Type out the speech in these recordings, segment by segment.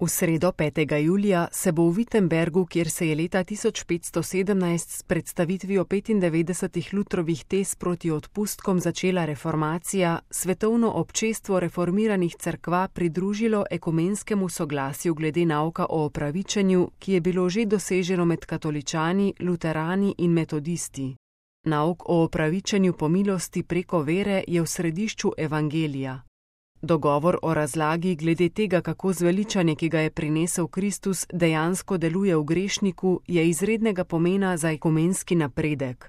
V sredo 5. julija se bo v Wittenbergu, kjer se je leta 1517 s predstavitvijo 95 Lutrovih tez proti odpustkom začela reformacija, svetovno občestvo reformiranih cerkva pridružilo ekumenskemu soglasju glede nauka o opravičenju, ki je bilo že doseženo med katoličani, luterani in metodisti. Nauk o opravičenju po milosti preko vere je v središču evangelija. Dogovor o razlagi glede tega, kako zveličanje, ki ga je prinesel Kristus, dejansko deluje v grešniku, je izrednega pomena za ekumenski napredek.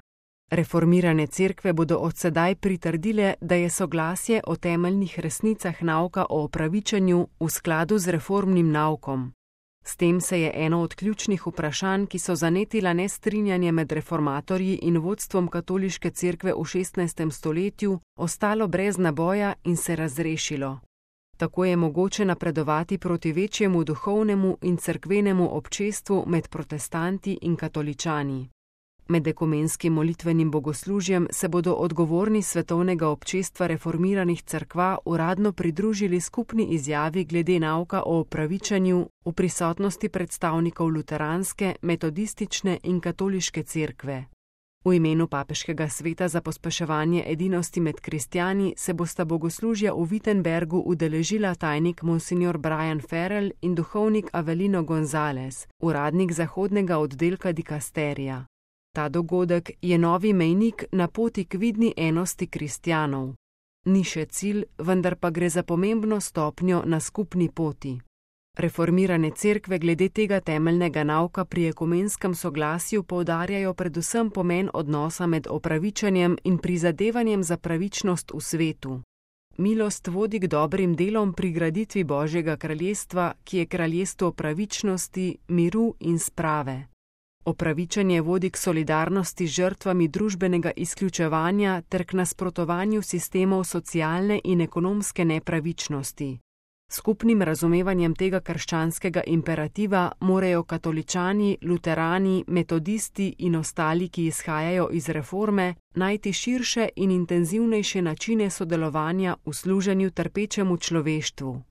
Reformirane cerkve bodo od sedaj pritrdile, da je soglasje o temeljnih resnicah nauka o opravičenju v skladu z reformnim naukom. S tem se je eno od ključnih vprašanj, ki so zanetila nestrinjanje med reformatorji in vodstvom katoliške cerkve v 16. stoletju, ostalo brez naboja in se razrešilo. Tako je mogoče napredovati proti večjemu duhovnemu in cerkvenemu občestvu med protestanti in katoličani. Med ekumenskim molitvenim bogoslužjem se bodo odgovorni svetovnega občestva reformiranih cerkva uradno pridružili skupni izjavi glede nauka o opravičenju v prisotnosti predstavnikov luteranske, metodistične in katoliške cerkve. V imenu papeškega sveta za pospeševanje edinosti med kristjani se bosta bogoslužja v Wittenbergu udeležila tajnik monsignor Brian Farrell in duhovnik Avelino González, uradnik zahodnega oddelka dikasterija. Ta dogodek je novi mejnik na poti k vidni enosti kristjanov. Ni še cilj, vendar pa gre za pomembno stopnjo na skupni poti. Reformirane cerkve glede tega temeljnega nauka pri ekumenskem soglasju poudarjajo predvsem pomen odnosa med opravičenjem in prizadevanjem za pravičnost v svetu. Milost vodi k dobrim delom pri graditvi Božjega kraljestva, ki je kraljestvo pravičnosti, miru in sprave. Opravičenje vodi k solidarnosti z žrtvami družbenega izključevanja ter k nasprotovanju sistemov socialne in ekonomske nepravičnosti. Skupnim razumevanjem tega krščanskega imperativa morajo katoličani, luterani, metodisti in ostali, ki izhajajo iz reforme, najti širše in intenzivnejše načine sodelovanja v služenju trpečemu človeštvu.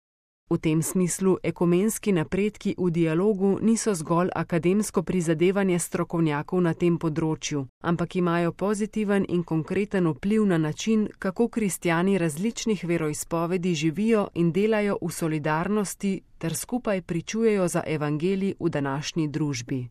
V tem smislu ekumenski napredki v dialogu niso zgolj akademsko prizadevanje strokovnjakov na tem področju, ampak imajo pozitiven in konkreten vpliv na način, kako kristjani različnih veroizpovedi živijo in delajo v solidarnosti ter skupaj pričujejo za evangelij v današnji družbi.